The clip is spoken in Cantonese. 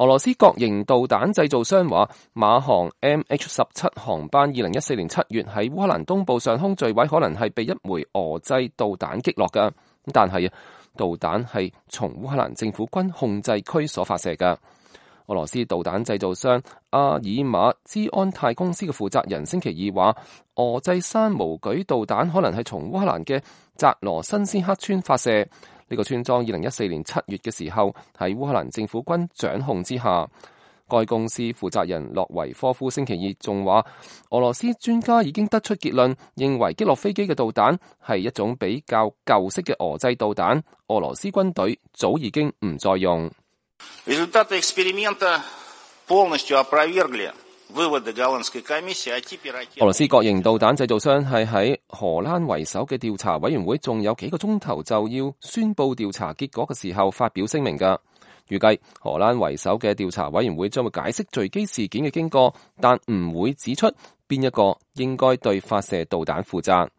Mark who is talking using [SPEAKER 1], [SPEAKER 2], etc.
[SPEAKER 1] 俄羅斯國營導彈製造商話，馬航 MH17 航班2014年7月喺烏克蘭東部上空墜毀，可能係被一枚俄製導彈擊落㗎。但係導彈係從烏克蘭政府軍控制區所發射㗎。俄羅斯導彈製造商阿爾馬茲安泰公司嘅負責人星期二話，俄製山毛舉導彈可能係從烏克蘭嘅扎羅申斯克村發射。呢個村莊2014年7月嘅時候喺烏克蘭政府軍掌控之下。該公司負責人洛維科夫星期二仲話，俄羅斯專家已經得出結論，認為擊落飛機嘅導彈係一種比較舊式嘅俄製導彈，俄羅斯軍隊早已經唔再用。俄羅斯國營導彈製造商係喺荷蘭為首嘅調查委員會仲有幾個鐘頭就要宣佈調查結果嘅時候發表聲明㗎。預計荷蘭為首嘅調查委員會將會解釋墜機事件嘅經過，但唔會指出邊一個應該對發射導彈負責。